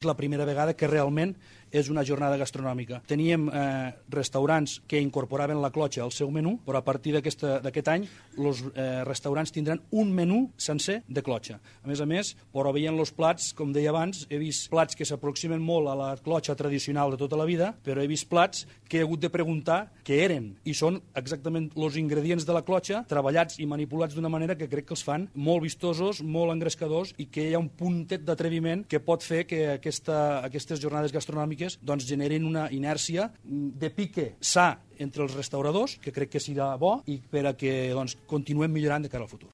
És la primera vegada que realment és una jornada gastronòmica. Teníem restaurants que incorporaven la clotxa al seu menú, però a partir d'aquest any els restaurants tindran un menú sencer de clotxa. A més, veient els plats, com deia abans, he vist plats que s'aproximen molt a la clotxa tradicional de tota la vida, però he vist plats que he hagut de preguntar què eren, i són exactament els ingredients de la clotxa, treballats i manipulats d'una manera que crec que els fan molt vistosos, molt engrescadors, i que hi ha un puntet d'atreviment que pot fer que aquestes jornades gastronòmiques doncs generin una inèrcia de pique sa entre els restauradors, que crec que serà bo, i per a que continuem millorant de cara al futur.